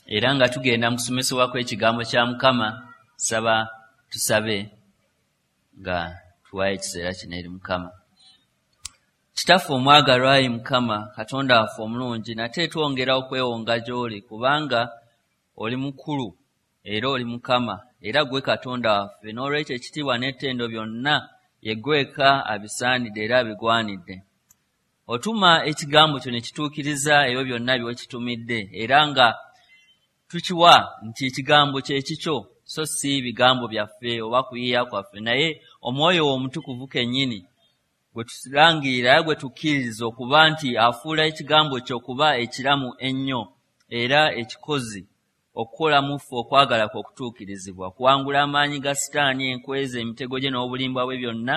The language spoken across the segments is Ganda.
Era nga tugenda mu kusomesebwa kw'ekigambo kya Mukama, saba tusabe nga tuwaayo ekiseera kino eri Mukama. Kitaffe omwagalwa, ayi Mukama Katonda waffe omulungi, nate twongera okwewonga gy'oli, kubanga oli mukulu era oli Mukama, era gwe Katonda waffe. N'olwekyo ekitiibwa n'ettendo byonna ye ggwe abisaanidde era abigwanidde. Otuma ekigambo kyo ne kituukiriza ebyo byonna by'okitumidde, era nga tukiwa nti ekigambo kye kikyo, so si bigambo byaffe oba kuyiiya kwaffe, naye Omwoyo wo Omutukuvu kennyini gwe tulangirira era gwe tukkiririza okuba nti afuula ekigambo kye okuba ekiramu ennyo era ekikozi, okukola mu ffe okwagala kwe okutuukirizibwa, okuwangula amaanyi ga Sitaani, enkweza, emitego gye n'obulimba bwe byonna,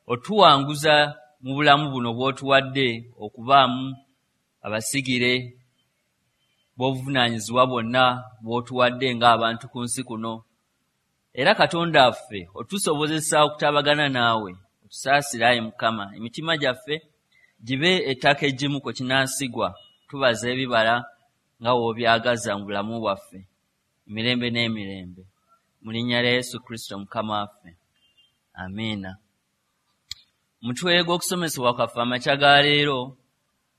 otuwanguza mu bulamu buno bw'otuwadde okubaamu abasigire bw'obuvunaanyizibwa bwonna bw'otuwadde ng'abantu ku nsi kuno. Era Katonda waffe, otusobozesa okutabagana naawe, otusaasire ayi Mukama, emitima gyaffe gibe ettaka eggimu kwe kinaasigwa, tubaza ebibala nga w'obyagaza mu bulamu bwaffe emirembe n'emirembe. Mu linnya lya Yesu Kristo Mukama waffe, amiina. Mutwe gw'okusomesebwa kwaffe amakya ga leero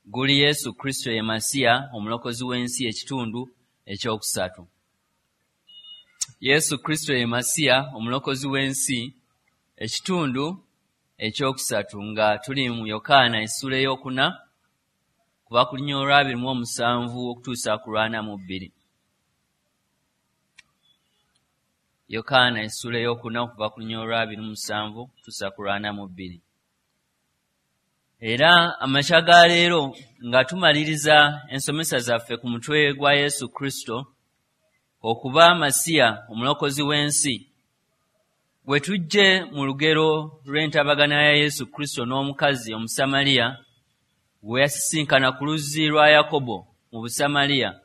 guli Yesu Kristo ye Masiya omulokozi w'ensi, ekitundu ekyokusatu. Yesu Kristo ye Masiya omulokozi w'ensi, ekitundu ekyokusatu, nga tuli mu Yokaana essula ey'okuna kuva ku lunya olwa 27 okutuusa ku 42. Yokaana essula ey'okuna okuva ku lunya olwa 27 okutuusa ku 42. Era amakya ga leero nga tumaliriza ensomesa zaffe ku mutwe gwa Yesu Kristo okuba Masiya omulokozi w'ensi, bwe tujje mu lugero lw'entabagana ya Yesu Kristo n'omukazi Omusamaliya gwe yasisinkana ku luzzi lwa Yakobo mu Busamaliya,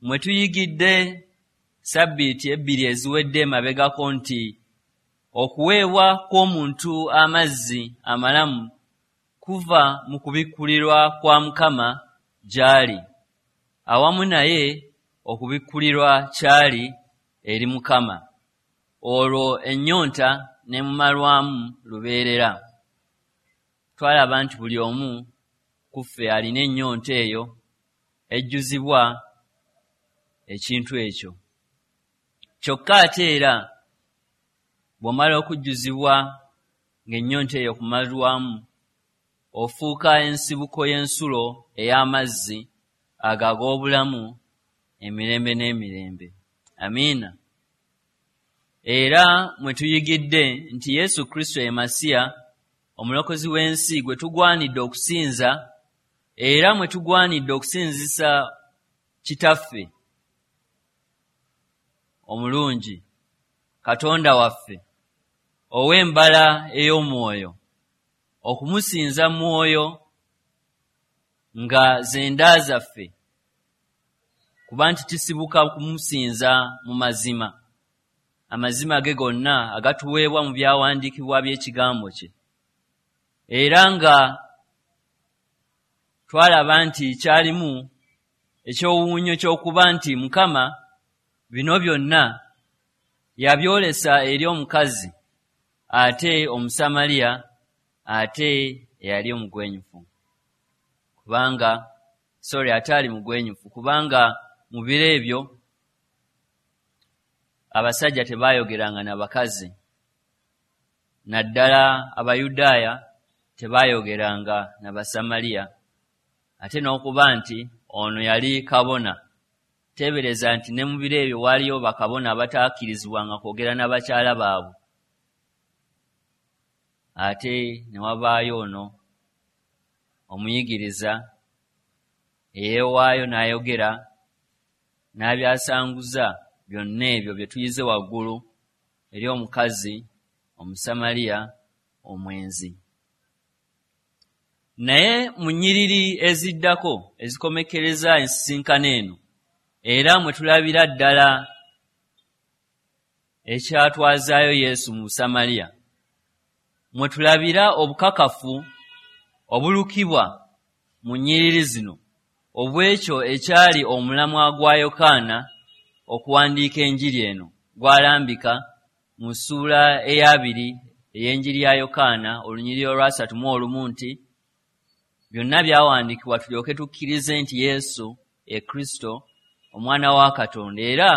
mwe tuyigidde sabbiiti 2 eziwedde emabegako nti okuweebwa kw'omuntu amazzi amalamu kuva mu kubikkulirwa kwa Mukama gy'ali, awamu naye okubikkulirwa kyali eri Mukama, olwo ennyonta n'emumalwamu lubeerera. Twalaba nti buli omu ku ffe alina ennyonta eyo ejjuzibwa ekintu ekyo. Kyokka ate era bw'omala okujjuzibwa ng'ennyonta eyo kumalwamu, ofuuka ensibuko y'ensulo ey'amazzi ago ag'obulamu emirembe n'emirembe. Amiina. Era mwe tuyigidde nti Yesu Kristo ye Masiya omulokozi w'ensi gwe tugwanidde okusinza, era mwe tugwanidde okusinzisa Kitaffe omulungi, Katonda waffe ow'embala ey'omwoyo, okumusinza mwoyo nga zenda zaffe, kuba nti kisibuka kumusinza mu mazima, amazima ge gonna agatuweebwa mu byawandiikibwa by'ekigambo kye. Era nga twalaba nti kyalimu ekyowuunyo ky'okuba nti Mukama bino byonna yabyolesa eri omukazi ate Omusamaliya ate eyali omugwenyufu, kubanga sorry, ate ali mugwenyufu, kubanga mu biro ebyo abasajja tebaayogeranga na bakazi, naddala Abayudaaya tebaayogeranga na Basamaliya, ate n'okuba nti ono yali kabona. Teebereza nti ne mu biro ebyo waaliyo bakabona abataakirizibwanga kwogera n'abakyala baabwe, ate ne wabaayo ono omuyigiriza eyeewaayo n'ayogera n'abyasanguza byonna ebyo bye tuyize waggulu eri omukazi Omusamaliya omwenzi. Naye mu nnyiriri eziddako ezikomekkereza ensisinkano eno, era mwe tulabira ddala ekyatwazaayo Yesu mu Busamaliya, mwe tulabira obukakafu obulukibwa mu nnyiriri zino obw'ekyo ekyali omulamwa gwa Yokaana okuwandiika enjiri eno gwalambika mu ssuula eyabiri ey'enjiri ya Yokaana olunyiriri olwasatu mu olumu nti byonna byawandiikibwa tulyoke tukkirize nti Yesu ye Kristo omwana wa Katonda, era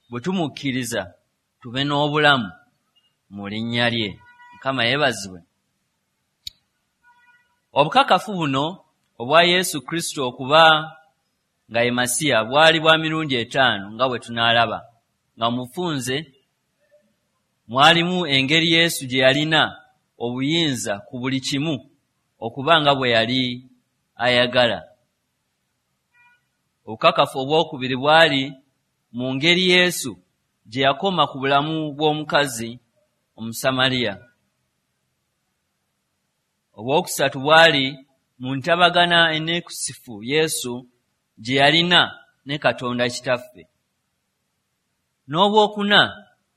bwe tumukkiriza tube n'obulamu mu linnya lye. Mukama yeebazibwe. Obukakafu buno obwa Yesu Kristo okuba nga ye Masiya bwali bwa mirundi 5 nga bwe tunaalaba, nga mufunze mwalimu engeri Yesu gye yalina obuyinza ku buli kimu okuba nga bwe yali ayagala. Obukakafu obwokubiri bwali mu ngeri Yesu gye yakoma ku bulamu bw'omukazi Omusamaliya. Obwokusatu bwali mu ntabagana enneekusifu Yesu gye yalina ne Katonda Kitaffe. N'obwokuna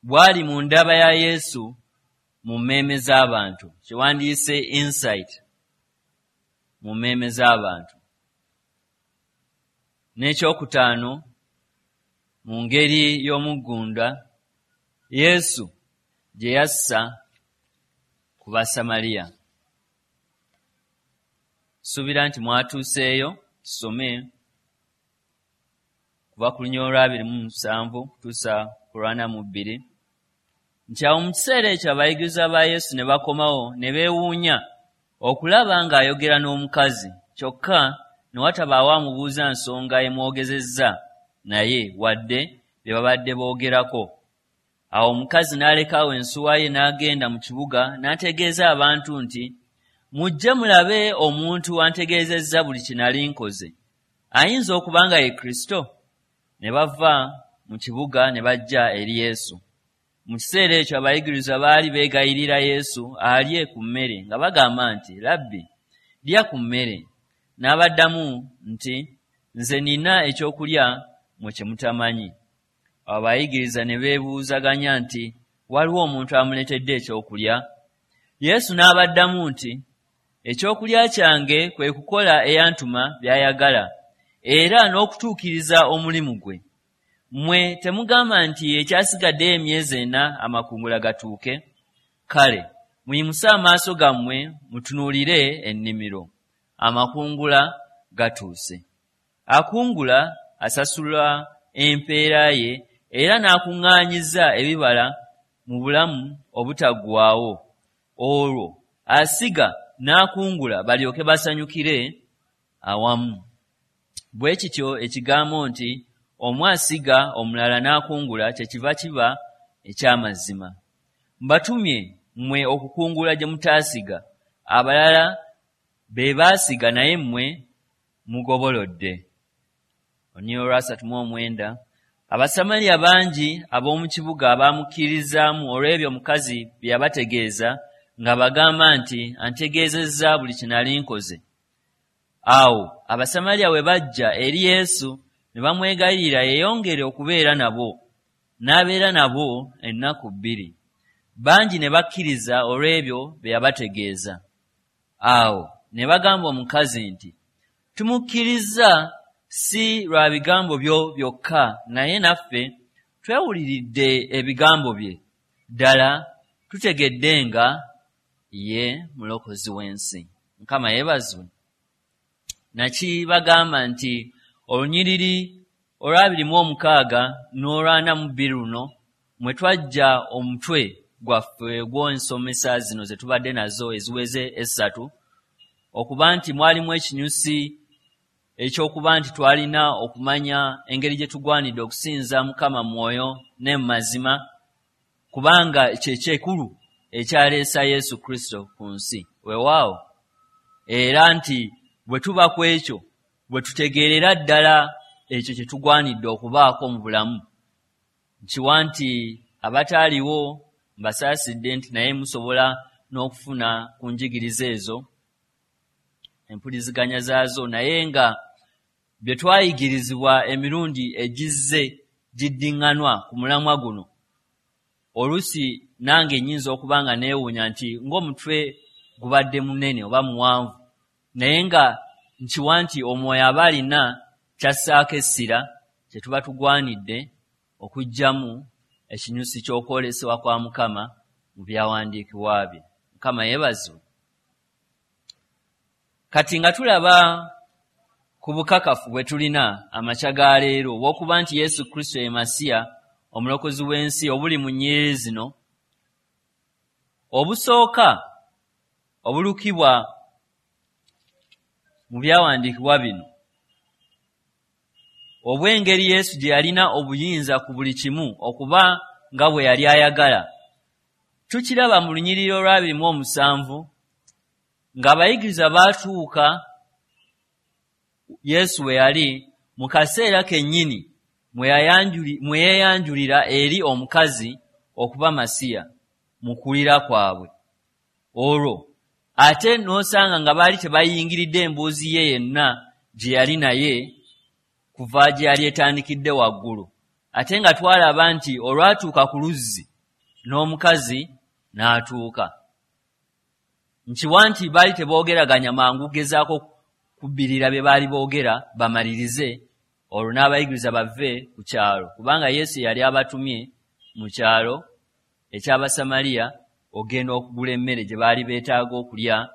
bwali mu ndaba ya Yesu mu mmeeme z'abantu, kyewandiise insight mu mmeeme z'abantu. N'ekyokutaano mu ngeri y'omuggunda Yesu gye yassa ku Basamaliya. Suubira nti mwatuuseeyo, tusome kuva ku lunyiriri olwa 27 kutuusa ku 42 nti awo mu kiseera ekyo abayigirizwa ba Yesu ne bakomawo ne beewuunya okulaba ng'ayogera n'omukazi, kyokka ne watabaawo amubuuza nsonga emwogezezza naye wadde bye babadde boogerako. Awo omukazi n'alekawo ensuwa ye n'agenda mu kibuga n'ategeeza abantu nti, mujje mulabe omuntu antegeezezza buli kye nali nkoze. Ayinza okuba nga ye Kristo? Ne bava mu kibuga ne bajja eri Yesu. Mu kiseera ekyo abayigirizwa baali beegayirira Yesu alye ku mmere nga bagamba nti, Labbi, lya ku mmere. N'abaddamu nti, nze nina ekyokulya mmwe kye mutamanyi. Awo abayigiriza ne beebuuzaganya nti, waliwo omuntu amuleetedde ekyokulya? Yesu n'abaddamu nti, ekyokulya kyange kwe kukola eyantuma by'ayagala era n'okutuukiriza omulimu gwe. Mmwe temugamba nti ekyasigaddeyo emyezi 4 amakungula gatuuke? Kale muyimuse amaaso gammwe mutunuulire ennimiro, amakungula gatuuse. Akungula asasulwa empeera ye era n'akuŋŋaanyiza ebibala mu bulamu obutaggwaawo, olwo asiga n'akungula balyoke basanyukire awamu. Bwe kityo ekigambo nti omu asiga omulala n'akungula kyekiva kiba eky'amazima. Mbatumye mmwe okukungula gye mutaasiga, abalala be baasiga naye mmwe mugobolodde. Olunyiriri olwa 39 Abasamaliya bangi ab'omu kibuga baamukkiririzaamu olw'ebyo omukazi bye yabategeeza ng'abagamba nti antegeezezza buli kye nali nkoze. Awo Abasamaliya bwe bajja eri Yesu ne bamwegayirira yeeyongere okubeera nabo, n'abeera nabo ennaku 2. Bangi ne bakkiriza olw'ebyo bye yabategeeza. Awo ne bagamba omukazi nti, tumukkiriza si lwa bigambo byo byokka, naye naffe twewuliridde ebigambo bye, ddala tutegedde nga ye mulokozi w'ensi. Mukama yeebazibwe. Nakibagamba nti olunyiriri olwa 26 n'olwa 42 luno mwe twajja omutwe gwaffe ogw'ensomesa zino ze tubadde nazo eziweze 3, okuba nti mwalimu ekinyusi ekyokuba nti twalina okumanya engeri gye tugwanidde okusinza Mukama mwoyo ne mu mazima, kubanga kye kyekulu ekyaleesa Yesu Kristo ku nsi. Weewaawo, era nti bwe tuba ku ekyo bwe tutegeerera ddala ekyo kye tugwanidde okubaako mu bulamu. Nkiwa nti abataaliwo mbasaasidde nti naye musobola n'okufuna ku njigiriza ezo empuliziganya zaazo, naye nga bye twayigirizibwa emirundi egizze giddiŋŋanwa ku mulamwa guno, oluusi nange nnyinza okuba nga neewuunya nti ng'omutwe gubadde munene oba muwanvu, naye nga Nkiwa nti Omwoyo aba alina kyassaako essira kye tuba tugwanidde okuggyamu ekinyusi ky'okwolesebwa kwa Mukama mu byawandiikibwa bye. Mukama yeebazibwe. Kati nga tulaba ku bukakafu bwe tulina amakya ga leero obw'okuba nti Yesu Kristo ye Masiya omulokozi w'ensi obuli mu nnyiriri zino, obusooka obulukibwa mu byawandiikibwa bino obw'engeri Yesu gye yalina obuyinza ku buli kimu okuba nga bwe yali ayagala, tukiraba mu lunyiriri olwa 27 ng'abayigiriza baatuuka Yesu we yali mu kaseera kennyini mwe yeeyanjulira eri omukazi okuba Masiya mu kuwulira kwabwe. Olwo ate n'osanga nga baali tebayingiridde emboozi ye yenna gye yali naye kuva gye yali etandikidde waggulu, ate nga twalaba nti olwatuuka ku luzzi n'omukazi n'atuuka. Nkiwa nti baali teboogeraganya mangu gezaako kubbirira bye baali boogera bamalirize, olwo n'abayigiriza bave ku kyalo, kubanga Yesu yali abatumye mu kyalo eky'Abasamaliya ogenda okugula emmere gye baali beetaaga okulya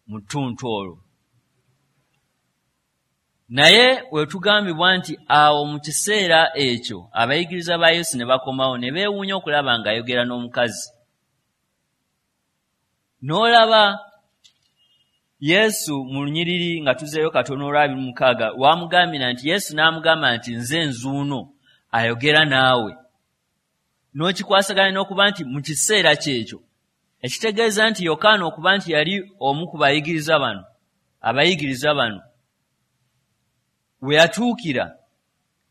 mu ttuntu olwo. Naye wetugambibwa nti awo mu kiseera ekyo abayigiriza ba Yesu ne bakomawo ne beewuunya okulaba ng'ayogera n'omukazi. N'olaba Yesu mu lunyiriri nga tuzeeyo katono olwa 26 wamugambira nti Yesu n'amugamba nti nze nzuuno ayogera naawe. N'okikwasaganya n'okuba nti mu kiseera kyekyo, ekitegeeza nti Yokaana okuba nti yali omu ku bayigiriza bano, abayigiriza bano, we yatuukira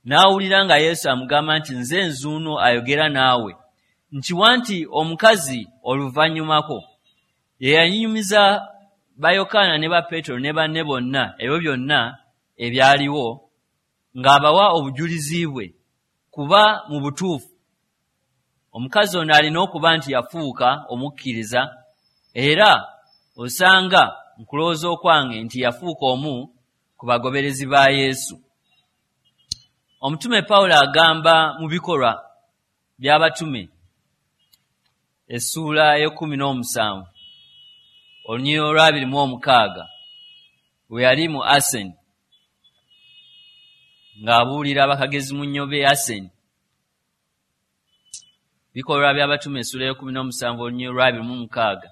n'awulira nga Yesu amugamba nti nze nzuuno ayogera naawe. Nkiwa nti omukazi oluvannyumako ye yanyumiza ba Yokaana ne ba Peetero ne banne bonna ebyo byonna ebyaliwo, ng'abawa obujulizi bwe, kuba mu butuufu omukazi ono alina okuba nti yafuuka omukkiriza, era osanga nkulowooza okwange nti yafuuka omu ku bagoberezi ba Yesu. Omutume Pawulo agamba mu Bikolwa by'Abatume essuula y'e 17 olunyiriri olwa 26, we yali mu Aseni ng'abuulira abakagezi mu nnyo b'e Aseni. Bikolwa by'Abatume essuula y'e 17 olunyiriri olwa 26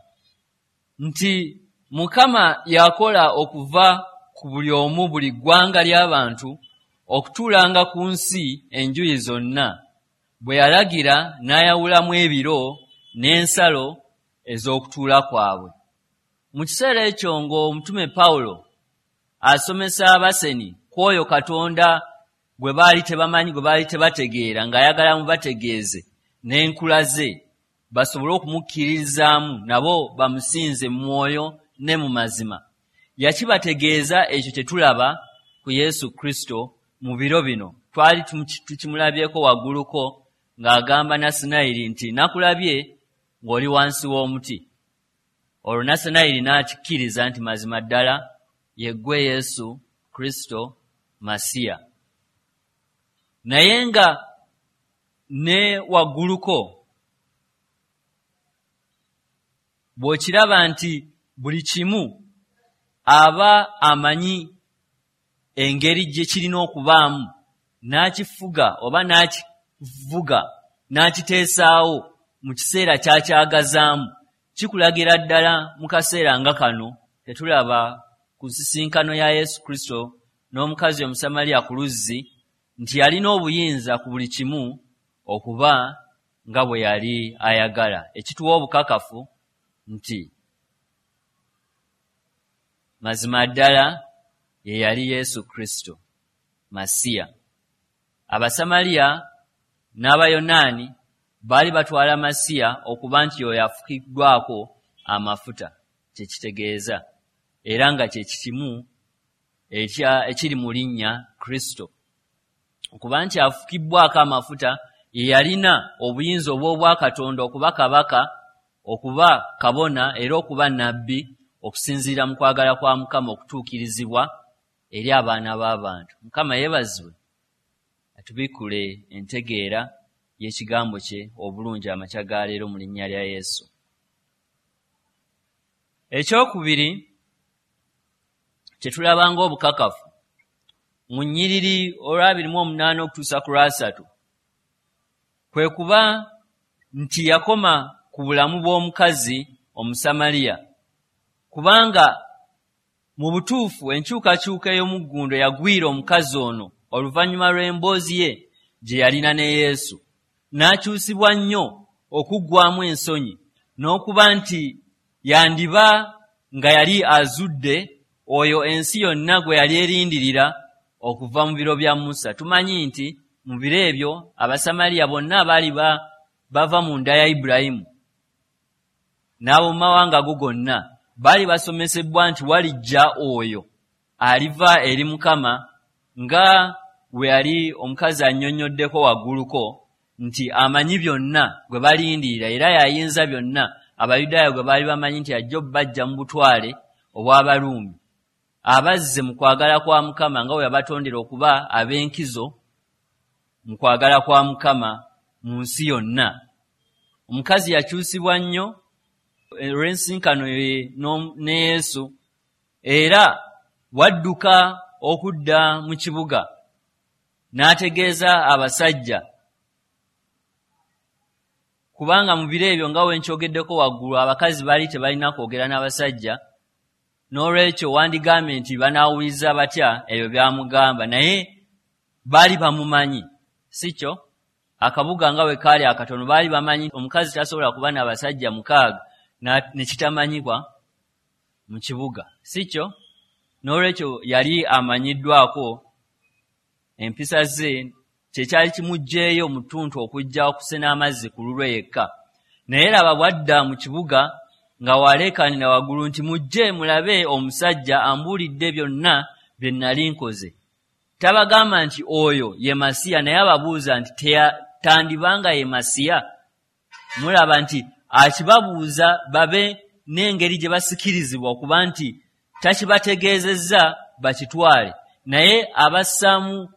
nti Mukama yakola okuva ku buli omu buli ggwanga ly'abantu okutuulanga ku nsi enjuyi zonna, bwe yalagira n'ayawulamu ebiro n'ensalo ez'okutuula kwabwe. Mu kiseera ekyo ng'omutume Pawulo asomesa Abaseni ku oyo Katonda gwe baali tebamanyi, gwe baali tebategeera, ng'ayagala mubategeeze n'enkula ze basobole okumukkiririzaamu nabo bamusinze mu mwoyo ne mu mazima, yakibategeeza ekyo kye tulaba ku Yesu Kristo mu biro bino. Twali tukimulabyeko wagguluko ng'agamba Nasanayiri nti nakulabye ng'oli wansi w'omuti. Olwo Nasanayiri n'akikkiriza nti mazima ddala ye ggwe Yesu Kristo Masiya. Naye nga ne wagguluko bw'okiraba nti buli kimu aba amanyi engeri gye kirina okubaamu, n'akifuga oba n'akivuga n'akiteesaawo mu kiseera ky'akyagazaamu, kikulagira ddala mu kaseera nga kano tetulaba ku nsisinkano ya Yesu Kristo n'omukazi Omusamaliya ku luzzi nti yalina obuyinza ku buli kimu okuba nga bwe yali ayagala, ekituwa obukakafu nti mazima ddala ye yali Yesu Kristo Masiya. Abasamaliya n'Abayonaani baali batwala Masiya okuba nti oyo afukiddwako amafuta, kye kitegeeza, era nga kye kimu ekiri mu linnya Kristo, okuba nti afukibbwako amafuta ye yalina obuyinza obw'obwakatonda okuba kabaka, okuba kabona, era okuba nabbi okusinziira mu kwagala kwa Mukama okutuukirizibwa. eri abaana b'abantu. Mukama yeebazibwe, atubikkule entegeera y'ekigambo kye obulungi amakya ga leero mu linnya lya Yesu. Ekyokubiri kye tulaba ng'obukakafu mu nnyiriri olwa 28 okutuusa ku lwa 30 kwe kuba nti yakoma ku bulamu bw'omukazi Omusamaliya, kubanga mu butuufu enkyukakyuka ey'omuggundo yagwira omukazi ono oluvannyuma lw'emboozi ye gye yalina ne Yesu, n'akyusibwa nnyo okuggwamu ensonyi n'okuba nti yandiba nga yali azudde oyo ensi yonna gwe yali erindirira okuva mu biro bya Musa. Tumanyi nti mu biro ebyo Abasamaliya bonna abaali bava mu nda ya Ibulayimu n'ab'omu mawanga ago gonna baali basomesebwa nti walijja oyo aliva eri Mukama, nga we yali omukazi annyonnyoddeko wagguluko nti amanyi byonna gwe balindirira era yayinza byonna, Abayudaaya gwe baali bamanyi nti ajja obbajja mu butwale obw'Abaruumi, abazze mu kwagala kwa Mukama nga bwe yabatondera okuba ab'enkizo mu kwagala kwa Mukama mu nsi yonna. Omukazi yakyusibwa nnyo olw'ensinkano ye ne Yesu, era wadduka okudda mu kibuga n'ategeeza abasajja, kubanga mu biro ebyo nga we nkyogeddeko waggulu abakazi baali tebalina kwogera n'abasajja, n'olwekyo wandigambye nti banaawuliza batya ebyo by'amugamba, naye baali bamumanyi, si kyo? Akabuga nga bwe kaali akatono baali bamanyi omukazi tasobola kuba n'abasajja 6 ne kitamanyibwa mu kibuga, si kyo? N'olwekyo yali amanyiddwako empisa ze, kyekyali kimuggyeeyo mu ttuntu okujja okusena amazzi ku lulwe yekka. Naye laba bw'adda mu kibuga nga waleekaanira waggulu nti, mujje mulabe omusajja ambuulidde byonna bye nnali nkoze. Tabagamba nti oyo ye Masiya, naye ababuuza nti tandibanga ye Masiya. Mulaba nti akibabuuza babe n'engeri gye basikirizibwa okuba nti takibategeezezza bakitwale, naye abassaamu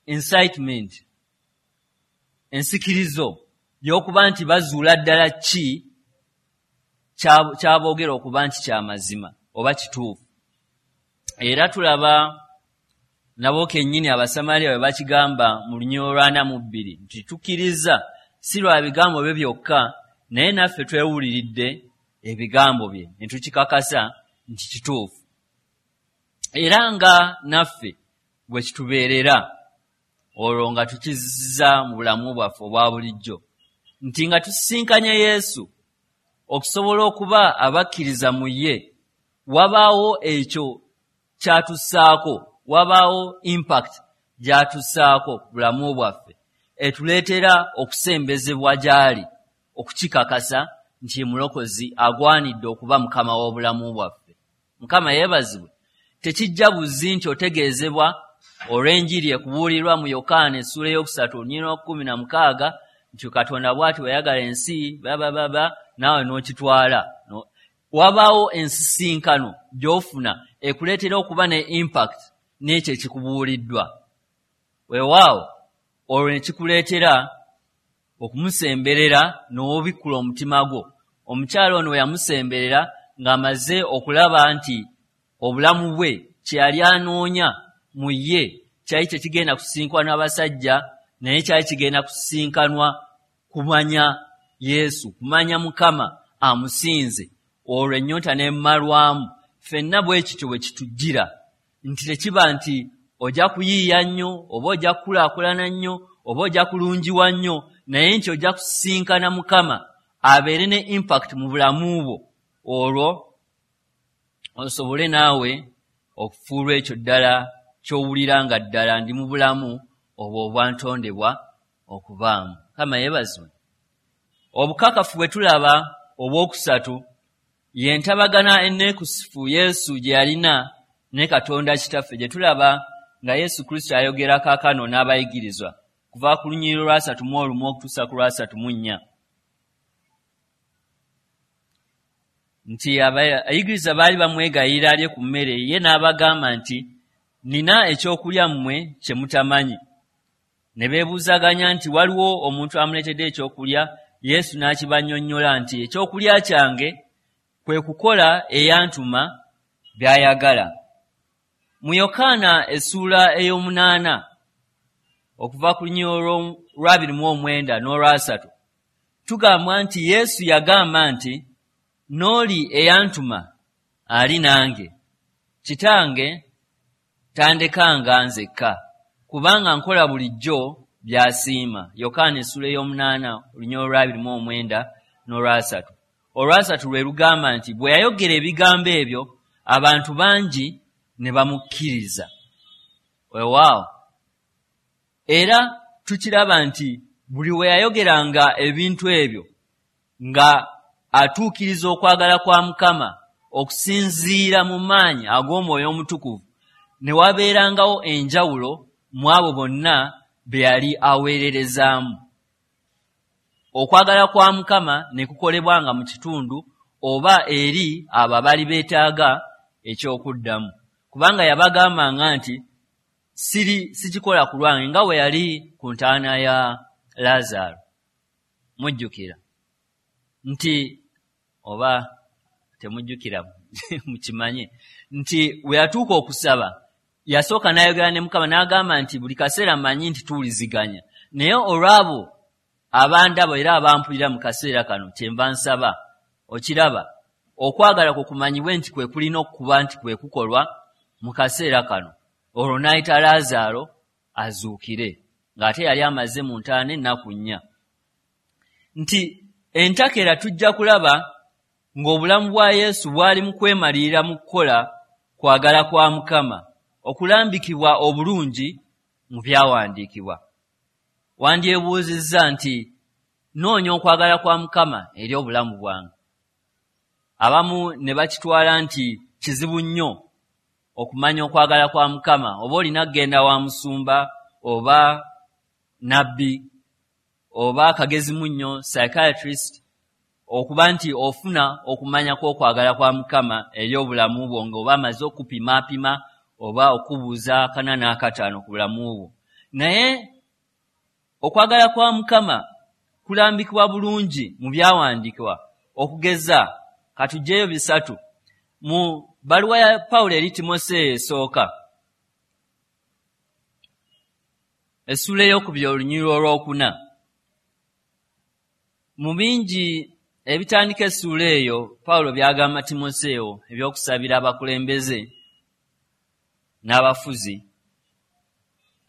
incitement, ensikirizo y'okuba nti bazuula ddala ki kyaboogera okuba nti kyamazima oba kituufu. Era tulaba nabo kennyini Abasamaliya bwe bakigamba mu lunyiriri olwa 42 nti tukkiriza si lwa bigambo bye byokka, naye naffe twewuliridde ebigambo bye ne tukikakasa nti kituufu. Era nga naffe bwe kitubeerera olwo nga tukizza mu bulamu bwaffe obwa bulijjo, nti nga tusisinkanye Yesu okusobola okuba abakkiriza mu ye, wabaawo ekyo kyatussaako, wabaawo impact gy'atussaako ku bulamu bwaffe etuleetera okusembezebwa gy'ali, okukikakasa nti ye Mulokozi agwanidde okuba Mukama w'obulamu bwaffe. Mukama yeebazibwe. Tekijja buzzi nti otegeezebwa olw'enjiri ekubuulirwa mu Yokaana essuula 3 olunyiriri 16 nti Katonda bw'ati bwe yayagala ensi babababa, naawe n'okitwala. Wabaawo ensisinkano gy'ofuna ekuleetera okuba ne impact n'ekyo ekikubuuliddwa. Weewaawo olwo ne kikuleetera okumusemberera n'obikkula omutima gwo. Omukyala ono we yamusemberera ng'amaze okulaba nti obulamu bwe kye yali anoonya mu ye kyali tekigenda kusisinkanwa n'abasajja, naye kyali kigenda kusisinkanwa kumanya Yesu, kumanya Mukama amusinze, olwo ennyonta n'emmalwamu. Ffenna bwe kityo bwe kitujjira, nti tekiba nti ojja kuyiiya nnyo oba ojja kukulaakulana nnyo oba ojja kulungiwa nnyo, naye nti ojja kusisinkana Mukama abeere ne impact mu bulamu bwo, olwo osobole naawe okufuulwa ekyo ddala ky'owulira nga ddala ndi mu bulamu obwo obwantondebwa okubaamu. Mukama yeebazibwe. Obukakafu bwe tulaba obwokusatu ye ntabagana enneekusifu Yesu gye yalina ne Katonda Kitaffe, gye tulaba nga Yesu Kristo ayogera kaakano n'abayigirizwa kuva ku lunyiriri olwa 31 okutuusa ku lwa 34. Nti abayigiriza baali bamwegayirira alye ku mmere, ye n'abagamba nti nina ekyokulya mmwe kye mutamanyi. Ne beebuuzaganya nti waliwo omuntu amuleetedde ekyokulya. Yesu n'akibannyonnyola nti ekyokulya kyange kwe kukola eyantuma by'ayagala. Mu Yokaana essuula 8 okuva ku lunyiriri lwa 29 n'olwa 30 tugambwa nti Yesu yagamba nti n'oli eyantuma ali nange, kitange tandekanga nzekka, kubanga nkola bulijjo by'asiima. Yokaana essuula 8 olunyiriri lwa 29 n'olwa 30. Olwasatu lwe lugamba nti bwe yayogera ebigambo ebyo abantu bangi ne bamukkiriza. Weewaawo, era tukiraba nti buli we yayogeranga ebintu ebyo nga atuukiriza okwagala kwa Mukama okusinziira mu maanyi ag'Omwoyo Omutukuvu, ne wabeerangawo enjawulo mu abo bonna be yali aweererezaamu. Okwagala kwa Mukama ne kukolebwanga mu kitundu oba eri abo abaali beetaaga ekyokuddamu, kubanga yabagambanga nti sikikola ku lwange, nga bwe yali ku ntaana ya Laazaalo. Mujjukira nti, oba temujjukira mukimanye nti we yatuuka okusaba yasooka n'ayogera ne Mukama n'agamba nti buli kaseera mmanyi nti tuwuliziganya, naye olw'abo abandaba era abampulira mu kaseera kano kyenva nsaba. Okiraba, okwagala kwe kumanyibwe nti kwe kulina okuba nti kwe kukolwa mu kaseera kano. Olwo n'ayita Laazaalo azuukire, ng'ate yali amaze mu ntaana ennaku 4. Nti entakera tujja kulaba ng'obulamu bwa Yesu bwali mu kwemalirira mu kukola kwagala kwa Mukama okulambikibwa obulungi mu byawandiikibwa. Wandyebuuzizza nti noonya okwagala kwa Mukama eri obulamu bwange. Abamu ne bakitwala nti kizibu nnyo okumanya okwagala kwa Mukama, oba olina kugenda wa musumba oba nabbi oba kagezi munnyo psychiatrist okuba nti ofuna okumanya kw'okwagala kwa Mukama eri obulamu bwo, ng'oba amaze okupimaapima oba okubuuza 405 ku bulamu bwo. Naye okwagala kwa Mukama kulambikibwa bulungi mu byawandiikibwa. Okugeza katuggyeyo 3 mu bbaluwa ya Pawulo eri Timoseeyo esooka essuula 2 olunyiriri 4. Mu bingi ebitandika essuula eyo Pawulo by'agamba Timoseewo ebyokusabira abakulembeze n'abafuzi,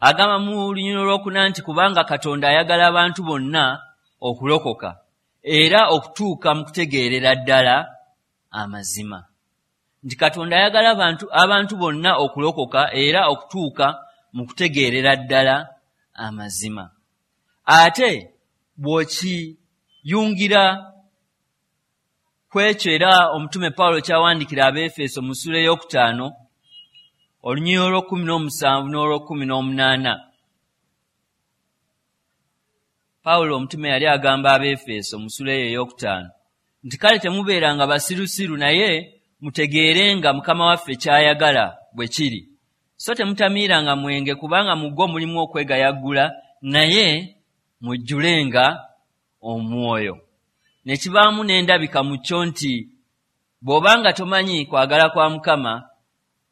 agamba mu lunyiriri 4 nti kubanga Katonda ayagala abantu bonna okulokoka era okutuuka mu kutegeerera ddala amazima. Nti Katonda ayagala abantu bonna okulokoka era okutuuka mu kutegeerera ddala amazima. Ate bw'okiyungira ku ekyo era omutume Pawulo ky'awandiikira Abeefeso mu ssuula 5 olunyiriri 17 n'olw'18. Pawulo omutume yali agamba Abeefeso mu ssuula eyo 5 nti kale temubeeranga basirusiru, naye mutegeerenga Mukama waffe ky'ayagala bwe kiri. So temutamiiranga mwenge, kubanga mu gwo mulimu okwegayaggula, naye mujjulenga omwoyo. Ne kibaamu n'endabika mu kyo nti bw'obanga tomanyi kwagala kwa Mukama,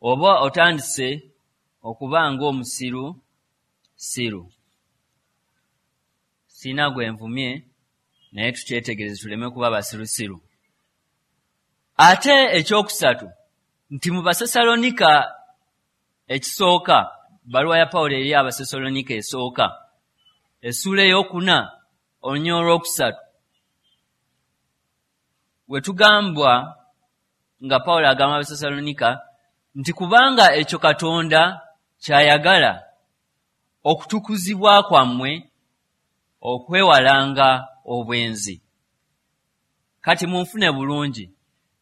oba otandise okuba ng'omusiru siru. Sirina gwe nvumye, naye tukyetegereze tuleme kuba basirusiru. Ate ekyokusatu nti mu Basesalonika ekisooka, bbaluwa ya Pawulo eri Abasesalonika esooka essuula 4 olunyiriri 3, we tugambwa nga Pawulo agamba Abasesalonika nti kubanga ekyo Katonda ky'ayagala, okutukuzibwa kwammwe okwewalanga obwenzi. Kati munfune bulungi,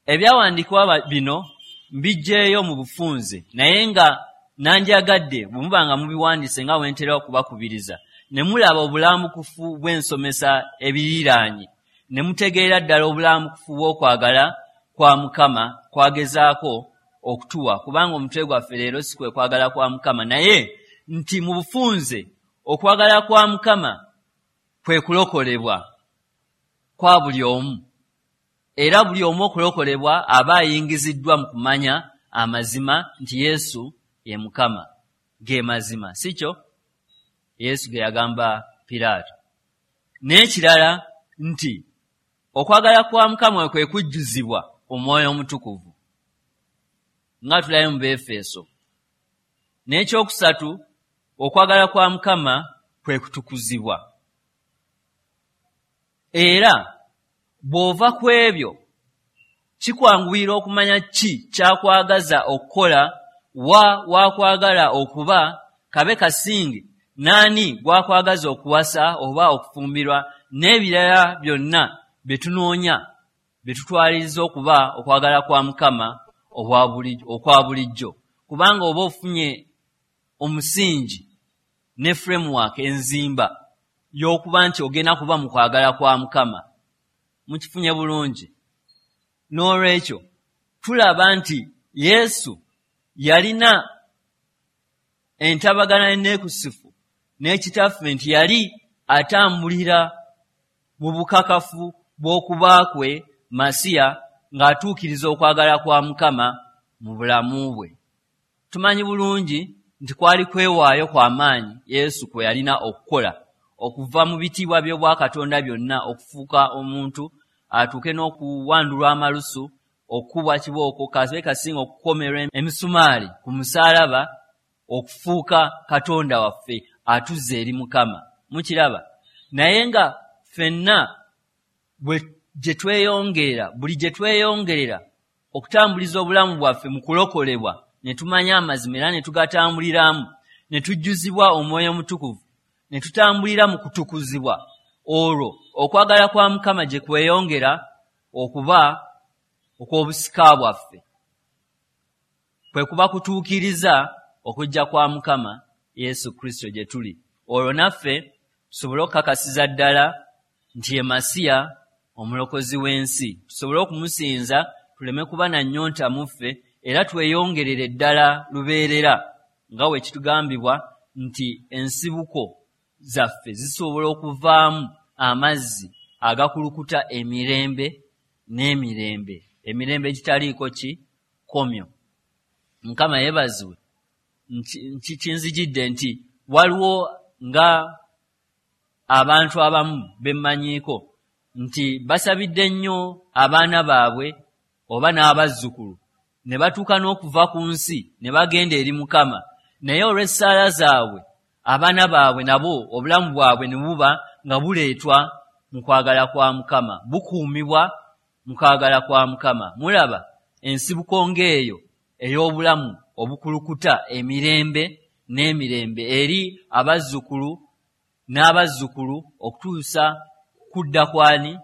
ebyawandiikibwa bino mbiggyeeyo mu bufunze, naye nga nandyagadde bwe muba nga mubiwandiise nga bwe ntera okubakubiriza, ne mulaba obulambukufu bw'ensomesa ebiriraanye, ne mutegeera ddala obulambukufu bw'okwagala kwa Mukama kwagezaako okutuwa, kubanga omutwe gwaffe leero si kwe kwagala kwa Mukama, naye nti mu bufunze okwagala kwa Mukama kwe kulokolebwa kwa buli omu, era buli omu okulokolebwa aba ayingiziddwa mu kumanya amazima nti Yesu ye Mukama, ge mazima, si kyo Yesu ge yagamba Piraato. N'ekirala nti okwagala kwa Mukama kwe kujjuzibwa Omwoyo Omutukuvu nga tulabe mu Befeso. N'ekyokusatu, okwagala kwa Mukama kwe kutukuzibwa. Era bw'ova ku ebyo kikwanguyira okumanya ki kyakwagaza okukola, wa wakwagala okuba, kabe kasinge naani gwakwagaza okuwasa oba okufumbirwa, n'ebirala byonna bye tunoonya bye tutwaliriza okuba okwagala kwa Mukama okwa bulijjo, kubanga oba ofunye omusingi ne framework enzimba y'okuba nti ogenda kuba mu kwagala kwa Mukama. Mukifunye bulungi. N'olwekyo tulaba nti Yesu yalina entabagana enneekusifu n'ekitaffe, nti yali atambulira mu bukakafu bw'okuba kwe Masiya ng'atuukiriza okwagala kwa Mukama mu bulamu bwe. Tumanyi bulungi nti kwali kwewaayo kwa maanyi Yesu kwe yalina okukola okuva mu bitiibwa by'obwakatonda byonna okufuuka omuntu, atuuke n'okuwandulwa amalusu, okukubwa kibooko, kabe kasinga okukomerwa emisumaali ku musaalaba, okufuuka Katonda waffe atuzza eri Mukama. Mukiraba? Naye nga ffenna bwe gye tweyongerera, buli gye tweyongerera okutambuliza obulamu bwaffe mu kulokolebwa, ne tumanya amazima era ne tugatambuliramu, ne tujjuzibwa Omwoyo Omutukuvu, ne tutambulira mu kutukuzibwa, olwo okwagala kwa Mukama gye kweyongera okuba okw'obusika bwaffe, kwe kuba kutuukiriza okujja kwa Mukama Yesu Kristo gye tuli, olwo naffe tusobole okukakasiza ddala nti ye Masiya omulokozi w'ensi, tusobole okumusinza, tuleme kuba na nnyonta mu ffe, era tweyongerere ddala lubeerera, nga bwe kitugambibwa nti ensibuko zaffe zisobola okuvaamu amazzi agakulukuta emirembe n'emirembe, emirembe egitaliiko kikomyo. Mukama yeebazibwe. Kinzijidde nti waliwo nga abantu abamu bemmanyiiko nti basabidde nnyo abaana baabwe oba n'abazzukulu ne batuuka n'okuva ku nsi ne bagenda eri Mukama, naye olw'essaala zaabwe abaana baabwe nabo obulamu bwabwe ne buba nga buleetwa mu kwagala kwa Mukama, bukuumibwa mu kwagala kwa Mukama. Mulaba ensibuko ng'eyo ey'obulamu obukulukuta emirembe n'emirembe eri abazzukulu n'abazzukulu okutuusa kudda kwani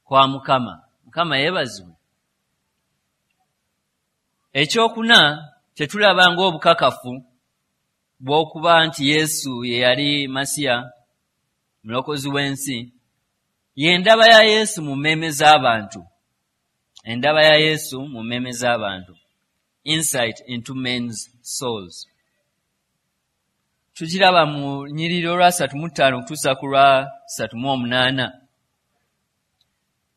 kwa Mukama. Mukama yeebazibwe. Ekyokuna kye tulaba ng'obukakafu bw'okuba nti Yesu ye yali Masiya mulokozi w'ensi, y'endaba ya Yesu mu mmeeme z'abantu. Endaba ya Yesu mu mmeeme z'abantu, insight into men's souls. Tukiraba mu nnyiriri olwa 35 okutuusa ku lwa 38,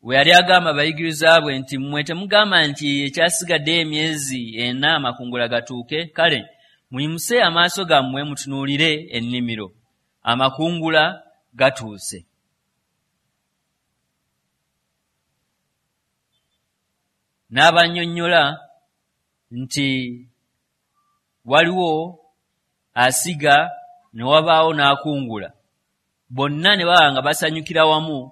we yali agamba abayigiriza bwe nti mmwe temugamba nti ekyasigaddeyo emyezi 4 amakungula gatuuke, kale muyimuse amaaso gammwe mutunuulire ennimiro, amakungula gatuuse. N'abannyonnyola nti waliwo asiga ne wabaawo n'akungula, bonna ne baba nga basanyukira wamu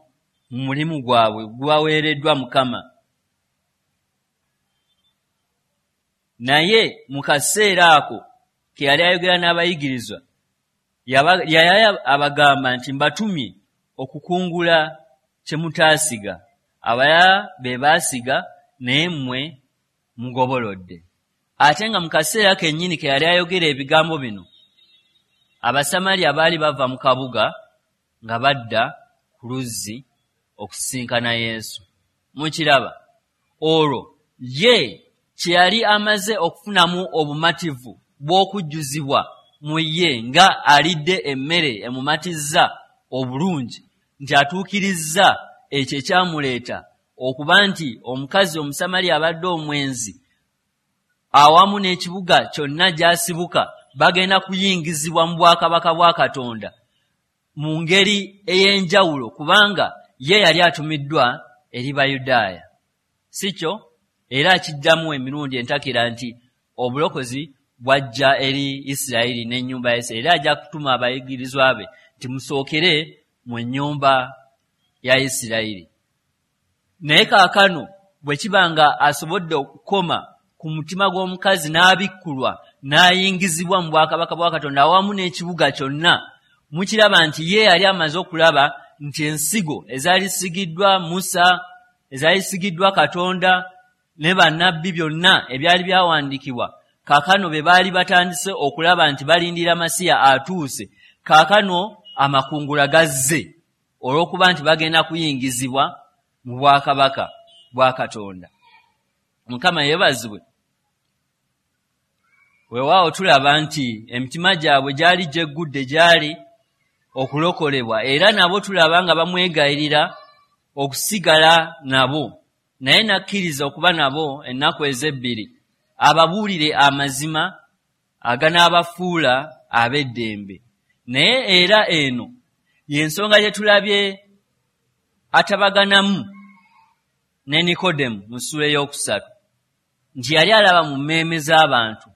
mu mulimu gwabwe gubaweereddwa Mukama. Naye mu kaseera ako ke yali ayogera n'abayigirizwa, yali abagamba nti mbatumye okukungula kye mutaasiga, abalala be baasiga naye mmwe mugobolodde. Ate nga mu kaseera kennyini ke yali ayogera ebigambo bino, Abasamaliya baali bava mu kabuga nga badda ku luzzi okusisinkana Yesu. Mukiraba? Olwo Ye kye yali amaze okufunamu obumativu bw'okujjuzibwa mu ye nga alidde emmere emumatizza obulungi, nti atuukirizza ekyo ekyamuleeta okuba nti omukazi Omusamaliya abadde omwenzi awamu n'ekibuga kyonna gy'asibuka bagenda kuyingizibwa mu bwakabaka bwa Katonda mu ngeri ey'enjawulo, kubanga ye yali atumiddwa eri Bayudaaya. Si kyo? Era akiddamu emirundi entakera nti obulokozi bwajja eri Isirayiri n'ennyumba ya Isirayiri, era ajja kutuma abayigirizwa be nti musookere mu nnyumba ya Isirayiri. Naye kaakano bwe kiba nga asobodde okukoma ku mutima gw'omukazi n'abikkulwa n'ayingizibwa mu bwakabaka bwa Katonda awamu n'ekibuga kyonna, mukiraba nti ye yali amaze okulaba nti ensigo ezaali zisigiddwa Musa, ezaali zisigiddwa Katonda ne bannabbi, byonna ebyali byawandiikibwa, kaakano be baali batandise okulaba nti balindira Masiya atuuse, kaakano amakungula gazze olw'okuba nti bagenda kuyingizibwa mu bwakabaka bwa Katonda. Mukama yeebazibwe. Weewaawo tulaba nti emitima gyabwe gyali gyeggudde gyali okulokolebwa, era nabo tulaba nga bamwegayirira okusigala nabo, naye n'akkiriza okuba nabo ennaku ez'ebbiri ababuulire amazima aganaabafuula ab'eddembe. Naye era eno y'ensonga gye tulabye atabaganamu ne Nikodemu mu ssuula ey'okusatu, nti yali alaba mu mmeeme z'abantu,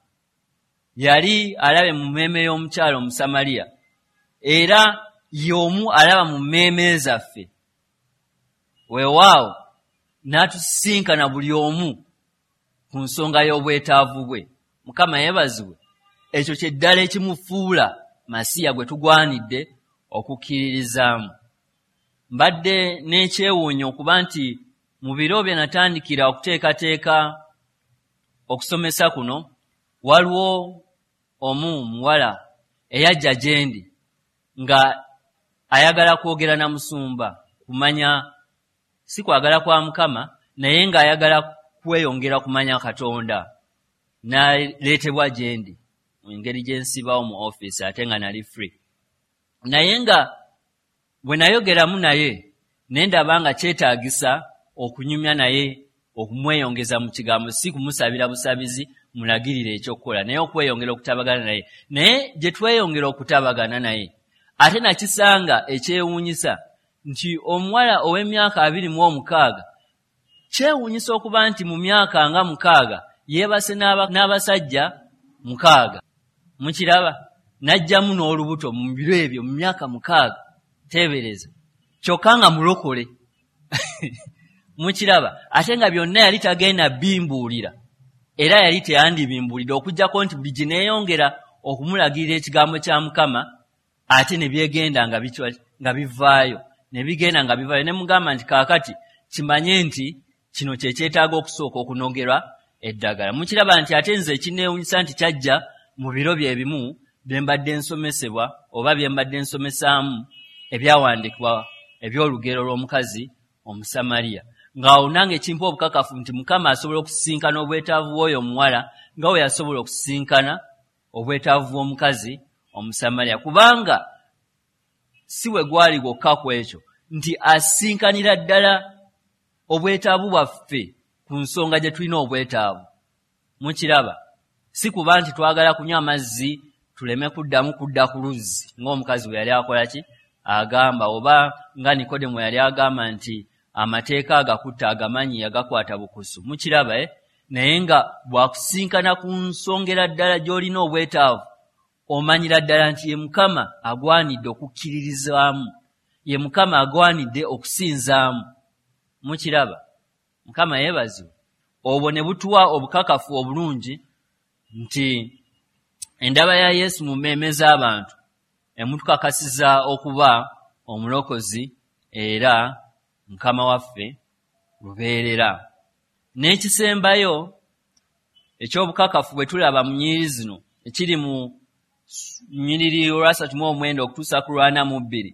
yali alabe mu mmeeme y'omukyala Omusamaliya, era y'omu alaba mu mmeeme zaffe. Weewaawo n'atusisinkana buli omu ku nsonga y'obwetaavu bwe. Mukama yeebazibwe. Ekyo kye ddala ekimufuula Masiya gwe tugwanidde okukkiririzaamu. Mbadde n'ekyewuunyo okuba nti mu biro bye natandikira okuteekateeka okusomesa kuno, waliwo omu muwala eyajja gye ndi nga ayagala kwogera na musumba, kumanya si kwagala kwa Mukama, naye ng'ayagala kweyongera kumanya Katonda, n'aleetebwa gye ndi mu ngeri gye nsibawo mu ofiisi ate nga nali free. Naye nga bwe nayogeramu naye ne ndaba nga kyetaagisa okunyumya naye, okumweyongeza mu kigambo, si kumusabira busabizi mulagirire ekyokukola, naye okweyongera okutabagana naye. Naye gye tweyongera okutabagana naye, ate nakisanga ekyewuunyisa nti omuwala ow'emyaka 26, kyewuunyisa okuba nti mu myaka nga 6 yeebase n'abasajja 6. Mukiraba? N'ajjamu n'olubuto mu biro ebyo mu myaka 6, teebereza, kyokka nga mulokole. Mukiraba? Ate nga byonna yali tagenda bimbuulira, era yali teyandibimbuulidde okuggyako nti buli gye neeyongera okumulagirira ekigambo kya Mukama, ate ne byegenda nga bivaayo, ne bigenda nga bivaayo. Ne mugamba nti kaakati kimanye nti kino kye kyetaaga okusooka okunogerwa eddagala. Mukiraba nti ate nze ekinneewuunyisa nti kyajja mu biro bye bimu bye mbadde nsomesebwa oba bye mbadde nsomesaamu ebyawandiikibwa eby'olugero lw'omukazi Omusamaliya, ng'awo nange kimpa obukakafu nti Mukama asobola okusisinkana obwetaavu bw'oyo omuwala nga bwe yasobola okusisinkana obwetaavu bw'omukazi Omusamaliya, kubanga si bwe gwali gwokka ku ekyo nti asisinkanira ddala obwetaavu bwaffe ku nsonga gye tulina obwetaavu. Mukiraba? Si kuba nti twagala kunywa amazzi tuleme kuddamu kudda ku luzzi ng'omukazi bwe yali akola ki agamba, oba nga Nikodemu yali agamba nti amateeka agakutta agamanyi yagakwata bukusu. Mukiraba? Naye nga bw'akusisinkana ku nsongera ddala gy'olina obwetaavu, omanyira ddala nti ye Mukama agwanidde okukkiririzaamu, ye Mukama agwanidde okusinzaamu. Mukiraba? Mukama yeebazibwe. Obwo ne butuwa obukakafu obulungi nti endaba ya Yesu mu mmeeme z'abantu emutukakasiza okuba omulokozi era Mukama waffe lubeerera. N'ekisembayo eky'obukakafu bwe tulaba mu nnyiriri zino, ekiri mu nnyiriri olwa39 okutuusa ku 42,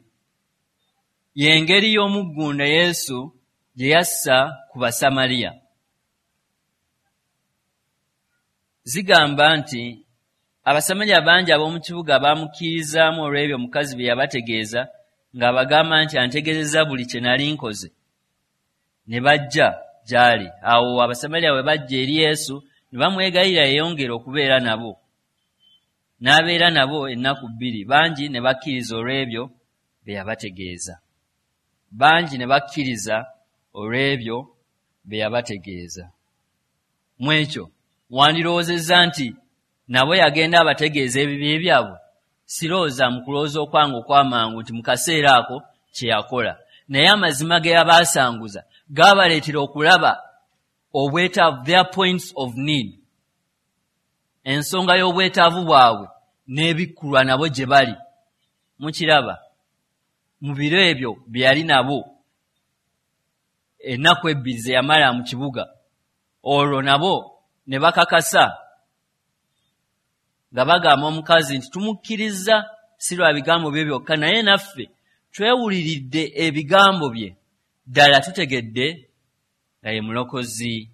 y'engeri y'omuggunda Yesu gye yassa ku Basamaliya. Zigamba nti Abasamaliya bangi ab'omu kibuga baamukkirizaamu olw'ebyo omukazi bye yabategeeza ng'abagamba nti antegeezezza buli kye nali nkoze. Ne bajja gy'ali. Awo Abasamaliya bwe bajja eri Yesu ne bamwegayirira yeeyongere okubeera nabo. N'abeera nabo ennaku bbiri, bangi ne bakkiriza olw'ebyo bye yabategeeza. Bangi ne bakkiriza olw'ebyo bye yabategeeza. Mu ekyo wandirowoozezza nti nabo yagenda abategeeza ebibi byabwe? Sirowooza mu kulowooza okwange okw'amangu nti mu kaseera ako kye yakola. Naye amazima ge yabaasanguza gaabaleetera okulaba obwetaavu, their points of need, ensonga y'obwetaavu bwabwe n'ebikkulwa nabo gye bali. Mukiraba, mu biro ebyo bye yali nabo, ennaku ebbiri ze yamala mu kibuga, olwo nabo ne bakakasa nga bagamba omukazi nti tumukkirizza si lwa bigambo bye byokka, naye naffe twewuliridde ebigambo bye, ddala tutegedde nga ye Mulokozi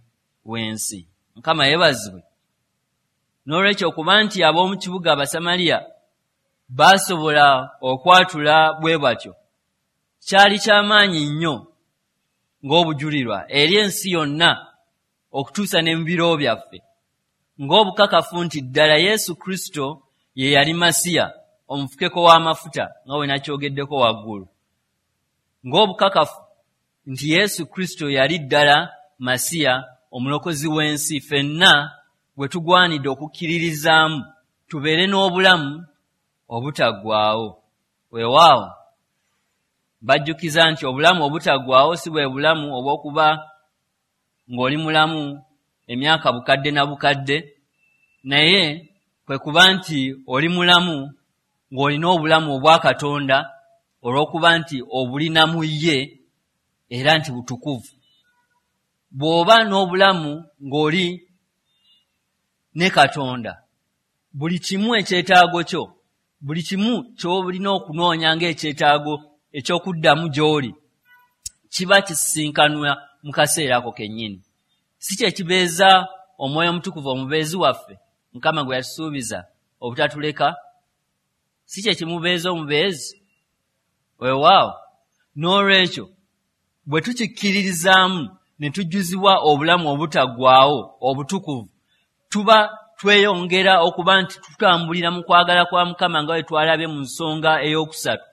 w'ensi. Mukama yeebazibwe. N'olwekyo okuba nti ab'omu kibuga Abasamaliya baasobola okwatula bwe batyo, kyali kya maanyi nnyo ng'obujulirwa eri ensi yonna okutuusa ne mu biro byaffe, ng'obukakafu nti ddala Yesu Kristo ye yali Masiya, omufukeko w'amafuta, nga bwe nakyogeddeko waggulu, ng'obukakafu nti Yesu Kristo yali ddala Masiya, omulokozi w'ensi, ffenna gwe tugwanidde okukkiririzaamu tubeere n'obulamu obutaggwaawo. Weewaawo, bajjukiza nti obulamu obutaggwaawo si bwe bulamu obw'okuba ng'oli mulamu emyaka bukadde na bukadde, naye kwe kuba nti oli mulamu ng'olina obulamu obwa Katonda olw'okuba nti obulina mu ye era nti butukuvu. Bw'oba n'obulamu ng'oli ne Katonda, buli kimu ekyetaago kyo, buli kimu ky'olina okunoonya ng'ekyetaago eky'okuddamu gy'oli, kiba kisisinkanwa mu kaseera ako kennyini. Si kye kibeeza Omwoyo Omutukuvu omubeezi waffe, Mukama gwe yatusuubiza obutatuleka? Si kye kimubeeza omubeezi? Weewaawo, n'olwekyo bwe tukikkiririzaamu ne tujjuzibwa obulamu obutaggwaawo obutukuvu, tuba tweyongera okuba nti tutambulira mu kwagala kwa Mukama nga bwe twalabye mu nsonga ey'okusatu,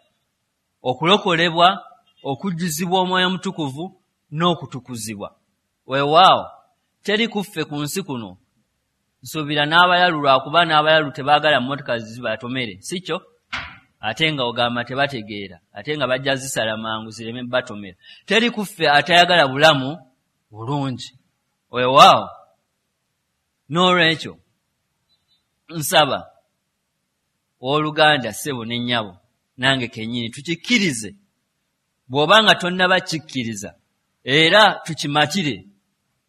okulokolebwa, okujjuzibwa Omwoyo Omutukuvu n'okutukuzibwa. Weewaawo, teri ku ffe ku nsi kuno, nsuubira n'abalalu, lwakuba n'abalalu tebaagala mmotoka zibatomere, si kyo? Ate nga ogamba tebategeera, ate nga bajja zisala mangu zireme batomera. Teri ku ffe atayagala bulamu bulungi. Weewaawo, n'olwekyo nsaba owooluganda, ssebo ne nnyabo, nange kennyini tukikkirize. Bw'oba nga tonnaba kikkiriza, era tukimatire,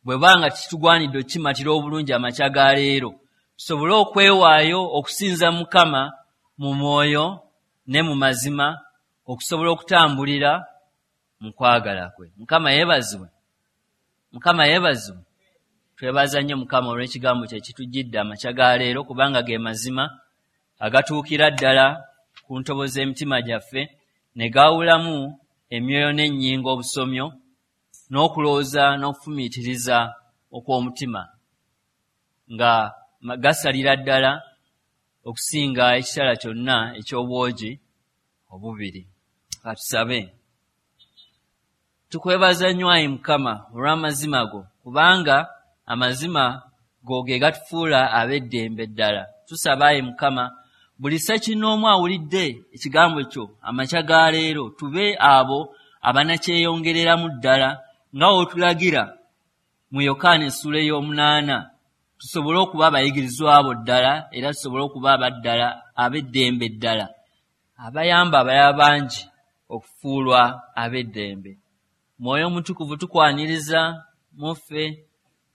bw'eba nga kitugwanidde okukimatira obulungi amakya ga leero, tusobole okwewaayo okusinza Mukama mu mwoyo ne mu mazima, okusobola okutambulira mu kwagala kwe. Mukama yeebazibwe. Mukama yeebazibwe. Twebaza nnyo Mukama olw'ekigambo kye ekitujjidde amakya ga leero, kubanga ge mazima agatuukira ddala ku ntobo z'emitima gyaffe ne gaawulamu emyoyo n'ennyingo obusomyo n'okulowooza n'okufumiitiriza okw'omutima, nga gasalira ddala okusinga ekitala kyonna eky'obwogi obubiri. Katusabe. Tukwebaza nnyo ayi Mukama olw'amazima go, kubanga amazima go ge gatufuula ab'eddembe ddala. Tusaba ayi Mukama buli ssekinnoomu awulidde ekigambo kyo amakya ga leero, tube abo abanakyeyongereramu ddala nga w'otulagira mu Yokaana essuula ey'omunaana, tusobole okuba abayigirizwa bo ddala era tusobole okuba abaddala ab'eddembe ddala, abayamba abalala bangi okufuulwa ab'eddembe. Mwoyo Omutukuvu tukwaniriza mu ffe,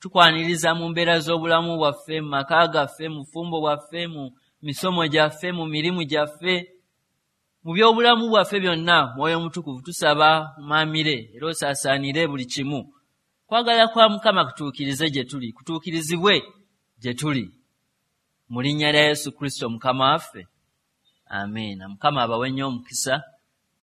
tukwaniriza mu mbeera z'obulamu bwaffe, mu maka gaffe, mu bufumbo bwaffe, mu misomo gyaffe, mu mirimu gyaffe, mu by'obulamu bwaffe byonna. Mwoyo Omutukuvu tusaba omaamire era osaasaanire buli kimu. Kwagala kwa Mukama kutuukirize gye tuli, kutuukirizibwe gye tuli. Mu linnya lya Yesu Kristo Mukama waffe, amiina. Mukama abawe nnyo omukisa.